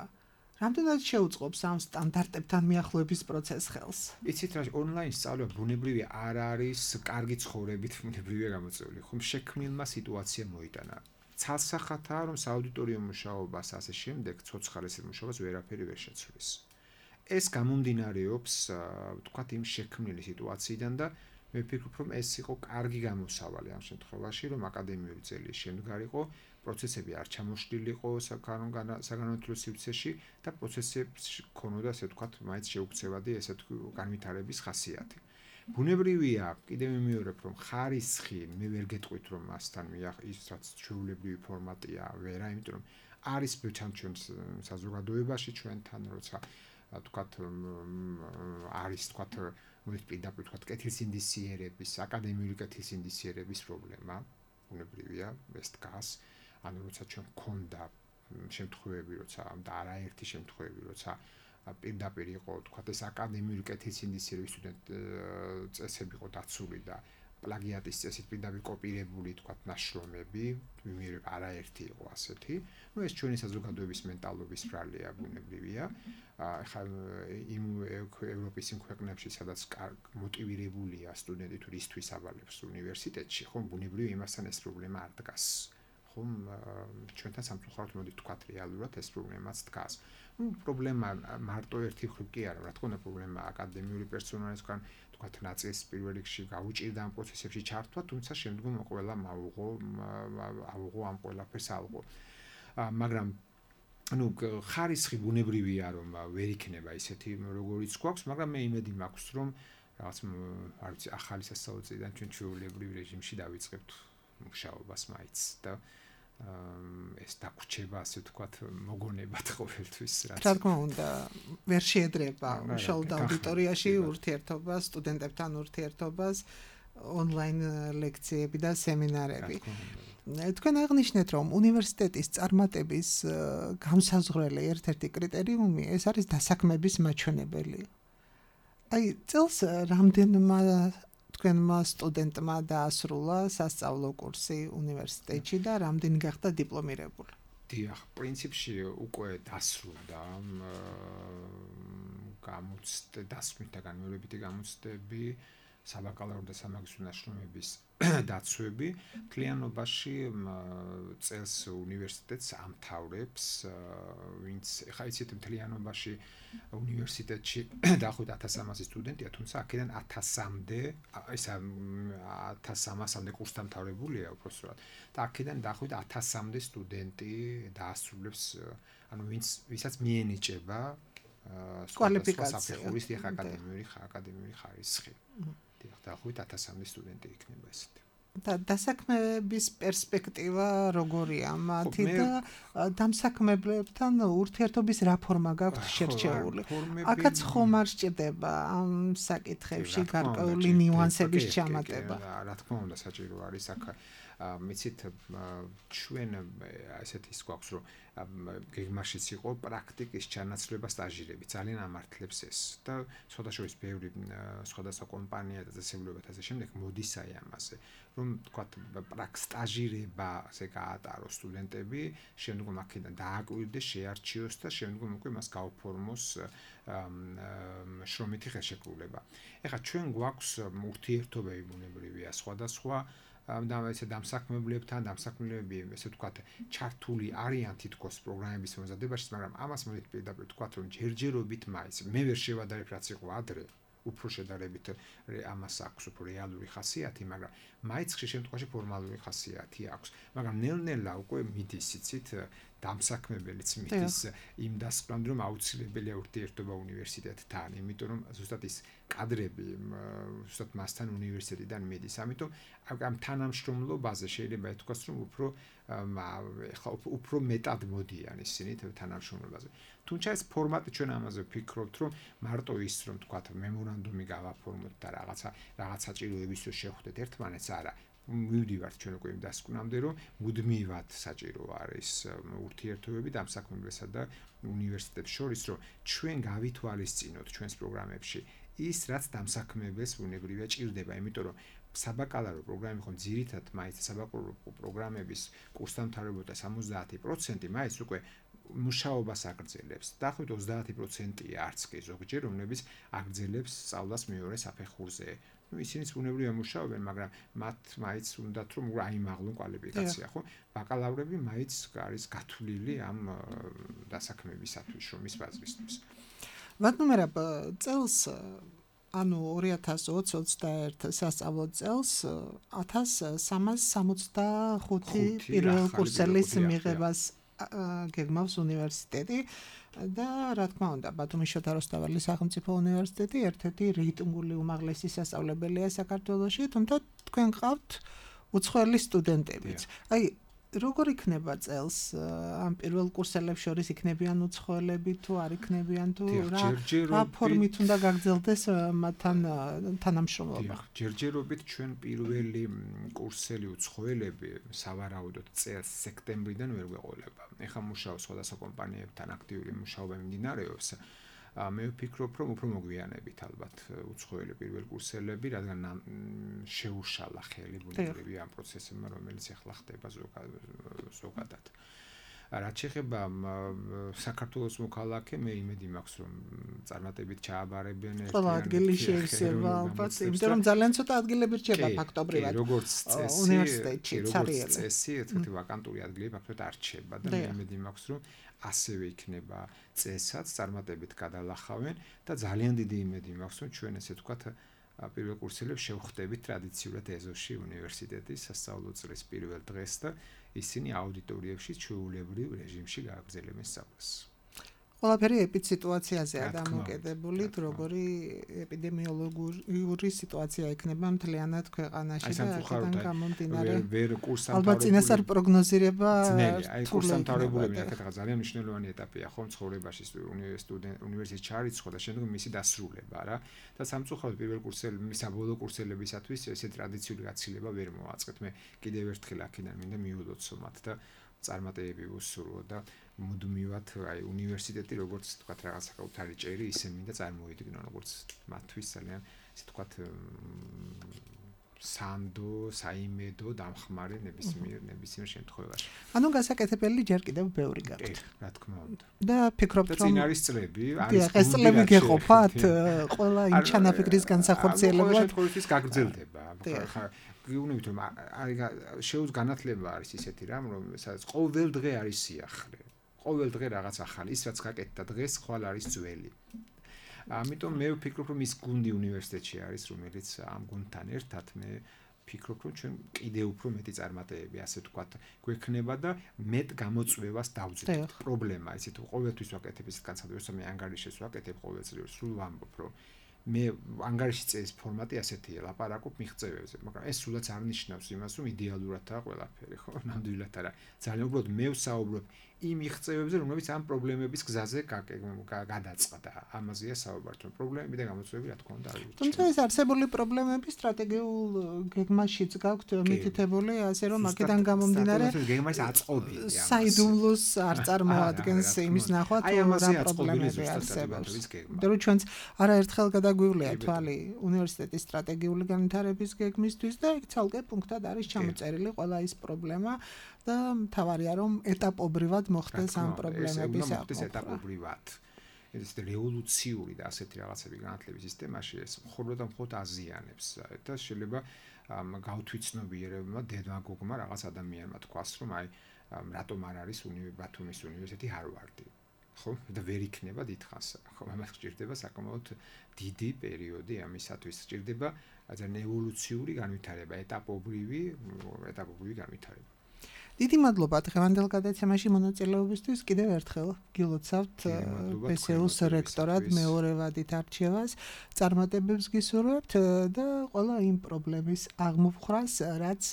რამდენად შეუწყობს ამ სტანდარტებთან მიახლოების პროცესს ხელს? იცით რა, ონლაინ სწავლება ბუნებრივია არ არის კარგი ცხოვრებით ბუნებრივია გამოწვეული. ხომ შექმნილმა სიტუაცია მოიტანა. ცალსახათაა, რომ სააუდიტორიო მუშაობას ასე შემდეგ ცოცხალეს მუშაობას ვერაფერი ვერ შეცვლის. ეს გამომდინარეობს, ვთქვათ, იმ შექმნილი სიტუაციიდან და მე ვფიქრობ, რომ ეს იყო კარგი გამოსავალი ამ შემთხვევაში, რომ აკადემიური წელი შემდგარიყო, პროცესები არ ჩამოშლილიყო საგანმანათლებლო სივრცეში და პროცესებს ქონოდა, ასე ვთქვათ, მაინც შეუქცევადი ესე განვითარების ხასიათი. ბუნებრივია, კიდევ მიმეორებ, რომ ხარისხი მე ვერ გეტყვით, რომ მასთან ის რაც ჩვეულებრივი ფორმატია, ვერა, იმიტომ რომ არის ჩვენ საზოგადოებაში ჩვენთან, როცა ვთქვათ, არის ვთქვათ, მოიწყ პირდაპირ ვთქვათ, კეთილსინდისიერების, აკადემიური კეთილსინდისიერების პრობლემა, ბუნებრივია, ეს დგას. ანუ როცა ჩვენ გქონდა შემთხვევები, როცა და არაერთი შემთხვევები, როცა პირდაპირ იყო, თქვათ, ეს აკადემიური კეთილსინდისიერების სტუდენტ წესები იყო დაცული და პლაგიატის წესით პირდაპირ კოპირებული თქვა ნაშრომები, ვიმეორებ არაერთი იყო ასეთი. ნუ ეს ჩვენი საზოგადოების მენტალობის ბრალია, ბუნებრივია. ახლა იმ ევროპის იმ ქვეყნებში, სადაც მოტივირებულია სტუდენტი თუ რისთვის ავალებს უნივერსიტეტში, ხომ ბუნებრივია იმასთან ეს პრობლემა არ დგას. ხომ ჩვენთან სამწუხაროდ მოდი თქვა რეალურად ეს პრობლემაც დგას. ნუ პრობლემა მარტო ერთი მხრივ კი არა, რა თქმა უნდა პრობლემა აკადემიური პერსონალისგან თქვათ ნაწილს პირველ რიგში გაუჭირდა ამ პროცესებში ჩართვა, თუმცა შემდგომ ყველა მაუღო აუღო ამ ყველაფერს ალღო. მაგრამ ну ხარისხი ბუნებრივია რომ ვერ იქნება ისეთი როგორიც გვაქვს, მაგრამ მე იმედი მაქვს რომ რაღაც არ ვიცი ახალი სასწავლო წლიდან ჩვენ ჩვეულებრივ რეჟიმში დავიწყებთ მუშაობას მაინც და ეს დაგვრჩება ასე ვთქვათ მოგონებად ყოველთვის რაც რა თქმა უნდა ვერ შეედრება მშრალ აუდიტორიაში ურთიერთობას სტუდენტებთან ურთიერთობას ონლაინ ლექციები და სემინარები თქვენ აღნიშნეთ რომ უნივერსიტეტის წარმატების გამსაზღვრელი ერთ-ერთი კრიტერიუმი ეს არის დასაქმების მაჩვენებელი აი წელს რამდენმა თქვენმა სტუდენტმა დაასრულა სასწავლო კურსი უნივერსიტეტში და რამდენი გახდა დიპლომირებული? დიახ, პრინციპში უკვე დასრულდა გამოცდა დასმით და განმეორებითი გამოცდები, საბაკალავრო და სამაგისტრო ნაშრომების დაცვები. მთლიანობაში წელს უნივერსიტეტს ამთავრებს, ვინც ხა იცით მთლიანობაში უნივერსიტეტში დაახლოებით ათას სამასი სტუდენტია, თუმცა აქედან ათას სამამდე, ეს ათას სამასამდე კურსდამთავრებულია უпроსტად. და აქედან დაახლოებით ათას სამამდე სტუდენტი დაასრულებს, ანუ ვინც ვისაც მიენიჭება კვალიფიკაცია, აკადემიური აკადემიური ხარისხი. დაახლოებით ათას სამამდე სტუდენტი იქნება ესეთი. და დასაქმების პერსპექტივა როგორია მათი და დამსაქმებლებთან ურთიერთობის რა ფორმა გაქვთ შერჩეული? აქაც ხომ არ სჭირდება ამ საკითხებში გარკვეული ნიუანსების ჩამატება. რა თქმა უნდა საჭირო არის აქ მიცით ჩვენ ასეთი ის გვაქვს რომ გეგმაშიც იყო პრაქტიკის ჩანაცვლება სტაჟირები ძალიან ამართლებს ეს და სხვადასხვა ბევრი სხვადასხვა კომპანია და წესებულებად ასე შემდეგ მოდის აი ამაზე რომ თქვა პრაქ სტაჟირებაზე გაატაროს სტუდენტები შემდგომ აქედან დააკვირდეს შეარჩიოს და შემდგომ უკვე მას გაუფორმოს შრომითი ხელშეკრულება ეხლა ჩვენ გვაქვს ურთიერთობები ბუნებრივია სხვადასხვა და ესე დამსაქმებლებთან დამსაქმებლები ესე ვთქვათ ჩართული არიან თითქოს პროგრამების მომზადებაში, მაგრამ ამას მოდით პირდაპირ ვთქვათ რომ ჯერჯერობით მაინც მე ვერ შევადარებ რაც იყო ადრე, უფრო შედარებით ამას აქვს უფრო რეალური ხასიათი, მაგრამ მაინც ხშირ შემთხვევაში ფორმალური ხასიათი აქვს, მაგრამ ნელ-ნელა უკვე მიდის იცით დამსაქმებელიც მიდის იმ დასკვნამდე რომ აუცილებელია ურთიერთობა უნივერსიტეტთან, იმიტომ რომ ზუსტად ის კადრები ზუსტად მასთან უნივერსიტეტიდან მიდის. ამიტომ ამ თანამშრომლობაზე შეიძლება ითქვას რომ უფრო ეხლა უფრო მეტად მოდიან ისინი თანამშრომლობაზე. თუმცა ეს ფორმატი ჩვენ ამაზე ვფიქრობთ რომ მარტო ის რომ თქვათ მემორანდუმი გავაფორმოთ და რაღაცა რაღაც საჭიროების რო შევხვდეთ ერთმანეთს არა მივდივართ ჩვენ უკვე იმ დასკვნამდე რომ მუდმივად საჭირო არის ურთიერთობები დამსაქმებელსა და უნივერსიტეტებს შორის რომ ჩვენ გავითვალისწინოთ ჩვენს პროგრამებში ის რაც დამსაქმებელს ბუნებრივია ჭირდება იმიტომ რომ საბაკალავრო პროგრამები ხომ ძირითადად მაინც საბაკალავრო პროგრამების კურსდამთავრებულთა სამოცდაათი პროცენტი მაინც უკვე მუშაობას აგრძელებს. დაახლოებით ოცდაათი პროცენტია არც კი ზოგჯერ რომლებიც აგრძელებს სწავლას მეორე საფეხურზე. ну ისინიც ბუნებრივია მუშაობენ, მაგრამ მათ მაინც უნდათ რომ აიმაღლონ კვალიფიკაცია, ხო? ბაკალავრები მაინც არის გათვლილი ამ დასაქმებისათვის, შრომის ბაზრისთვის. ვადნუმერა წელს ანუ ორი ათას ოცი ოცდაერთი სასწავლო წელს ათას სამას სამოცდახუთი პირველ კურსელის მიღებას გეგმავს უნივერსიტეტი და რა თქმა უნდა ბათუმის შოთა რუსთაველის სახელმწიფო უნივერსიტეტი ერთ-ერთი რეიტინგული უმაღლესი სასწავლებელია საქართველოში, თუმცა თქვენ ყავთ უცხოელი სტუდენტებიც. აი როგორ იქნება წელს ამ პირველ კურსელებს შორის იქნებიან უცხოელები თუ არ იქნებიან თუ რა ფორმით უნდა გაგრძელდეს მათთან თანამშრომლობა? ჯერჯერობით ჩვენ პირველი კურსელი უცხოელები სავარაუდოდ წელს სექტემბრიდან ვერ გვეყოლება. ეხლა მუშაობს სხვადასხვა კომპანიებთან აქტიური მუშაობა მიმდინარეობს. მე ვფიქრობ, რომ უფრო მოგვიანებით ალბათ უცხოელი პირველ კურსელები, რადგან შეუშალა ხელი ბუნებრივი ამ პროცესებმა, რომელიც ახლა ხდება ზოგადად. რაც შეეხება საქართველოს მოქალაქე, მე იმედი მაქვს, რომ წარმატებით ჩააბარებენ ერთიან. ყველა ადგილი შეეცება ალბათ, იმიტომ რომ ძალიან ცოტა ადგილები რჩება ფაქტობრივად. როგორც წესი, უნივერსიტეტში, როგორც წესი, ერთი ვაკანტური ადგილები ფაქტობრივად არ რჩება და მე იმედი მაქვს, რომ ასევე იქნება წესაც წარმატებით გადალახავენ და ძალიან დიდი იმედი მაქვს, რომ ჩვენ ესე ვთქვათ პირველ კურსელებს შევხვდებით ტრადიციულად ეზოში უნივერსიტეტის სასწავლო წლის პირველ დღეს და ისინი აუდიტორიებში ჩვეულებრივ რეჟიმში გააგრძელებენ სწავლას. ყველაფერი ეპიდსიტუაციაზეა დამოკიდებული, როგორი ეპიდემიოლოგიური სიტუაცია იქნება მთლიანად ქვეყანაში და აქედან გამომდინარე. ალბათ წინასწარ პროგნოზირება აი კურსდამთავრებულები აქეთაღა ძალიან მნიშვნელოვანი ეტაპია ხო ცხოვრებაში უნივერსიტეტში ჩარიცხვა და შემდგომ მისი დასრულება რა და სამწუხაროდ პირველ კურსელი საბოლოო კურსელებისათვის ესე ტრადიციული გაცილება ვერ მოაწყეთ. მე კიდევ ერთხელ აქედან მინდა მიულოცო მათ და წარმატებები ვუსურვო და მუდმივად აი უნივერსიტეტი როგორც თქვა რაღაც საკუთარი ჭერი ისე მინდა წარმოიდგინონ როგორც მათთვის ძალიან ესე თქვა სანდო, საიმედო, დამხმარე ნებისმიერ ნებისმიერ შემთხვევაში. ანუ გასაკეთებელი ჯერ კიდევ ბევრი გაქვთ. რა თქმა უნდა. და ფიქრობთ რომ წინ არის წლები, არის ეს წლები გეყოფათ ყველა იმ ჩანაფიქრის განსახორციელებლად. შემთხვევაში გაგრძელდება. ხა გეუბნებით რომ არის შეუძ განათლება არის ისეთი რამ რომ სადაც ყოველ დღე არის სიახლე. ყოველ დღე რაღაც ახალი, ის რაც გაკეთდა დღეს, ხვალ არის ძველი. ამიტომ მე ვფიქრობ რომ ის გუნდი უნივერსიტეტში არის, რომელიც ამ გუნდთან ერთად მე ვფიქრობ რომ ჩვენ კიდევ უფრო მეტი წარმატებები, ასე ვთქვათ, გვექნება და მეტ გამოწვევას დავძლებთ. პრობლემა ისე თუ ყოველთვის ვაკეთებ ის განსაკუთრებით მე ანგარიშს ვაკეთებ ყოველწლიურად, სულ ვამბობ რომ მე ანგარიშის წესის ფორმატი ასეთია, ლაპარაკობ მიღწევებზე, მაგრამ ეს სულაც არ ნიშნავს იმას, რომ იდეალურადაა ყველაფერი, ხო? ნამდვილად არა. ძალიან უბრალოდ მე ვსაუბრობ იმ მიღწევებზე, რომლებიც ამ პრობლემების გზაზე გადაწყდა. ამაზეა საუბარი, რომ პრობლემები და გამოწვევები რა თქმა უნდა არის. თუმცა ეს არსებული პრობლემები სტრატეგიულ გეგმაშიც გაქვთ მითითებული, ასე რომ აქედან გამომდინარე გეგმაში აწყობილია. საიდუმლოს არ წარმოადგენს იმის ნახვა, თუ რა პრობლემები არსებობს. იმიტომ რომ ჩვენც არაერთხელ გადაგვივლია თვალი უნივერსიტეტის სტრატეგიული განვითარების გეგმისთვის და იქ ცალკე პუნქტად არის ჩამოწერილი ყველა ის პრობლემა და მთავარია რომ ეტაპობრივად მოხდეს ამ პრობლემების აყენება. ეტაპობრივად. ეს რევოლუციური და ასეთი რაღაცები განათლების სისტემაში ეს მხოლოდ და მხოლოდ აზიანებს და შეიძლება გავთვითცნობიერებმა დემაგოგმა რაღაც ადამიანმა თქვას რომ აი რატომ არ არის ბათუმის უნივერსიტეტი ჰარვარდი. ხო და ვერ იქნება დიდხანს. ხო ამას გჭირდება საკმაოდ დიდი პერიოდი ამისათვის გჭირდება ძალიან ევოლუციური განვითარება, ეტაპობრივი, ეტაპობრივი განვითარება. დიდი მადლობა დღევანდელ გადაცემაში მონაწილეობისთვის. კიდევ ერთხელ გილოცავთ ბესეუს რექტორად მეორე ვადით არჩევას. წარმატებებს გისურვებთ და ყველა იმ პრობლემის აღმოფხვრას, რაც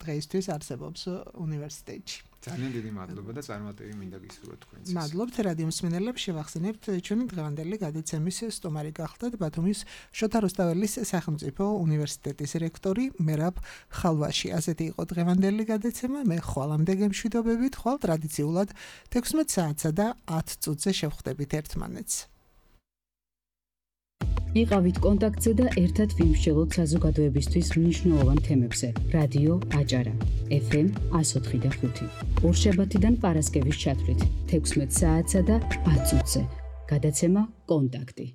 დღეისთვის არსებობს უნივერსიტეტში. ძალიან დიდი მადლობა და წარმატები მინდა გისურვოთ თქვენს. მადლობთ რადიო მსმენელებს, შევახსენებთ ჩვენი დღევანდელი გადაცემის სტუმარი გახლდათ ბათუმის შოთა რუსთაველის სახელმწიფო უნივერსიტეტის რექტორი მერაბ ხალვაში. ასეთი იყო დღევანდელი გადაცემა. მე ხვალამდე გემშვიდობებით, ხვალ ტრადიციულად თექვსმეტ საათსა და ათ წუთზე შევხვდებით ერთმანეთს. იყავით კონტაქტზე და ერთად ვიმსჯელოთ საზოგადოებისთვის მნიშვნელოვან თემებზე. რადიო აჭარა ეფ ემ εκατო ოთხი და ხუთი. ორშაბათიდან პარასკევის ჩათვლით თექვსმეტ საათსა და ათ წუთზე. გადაცემა კონტაქტი.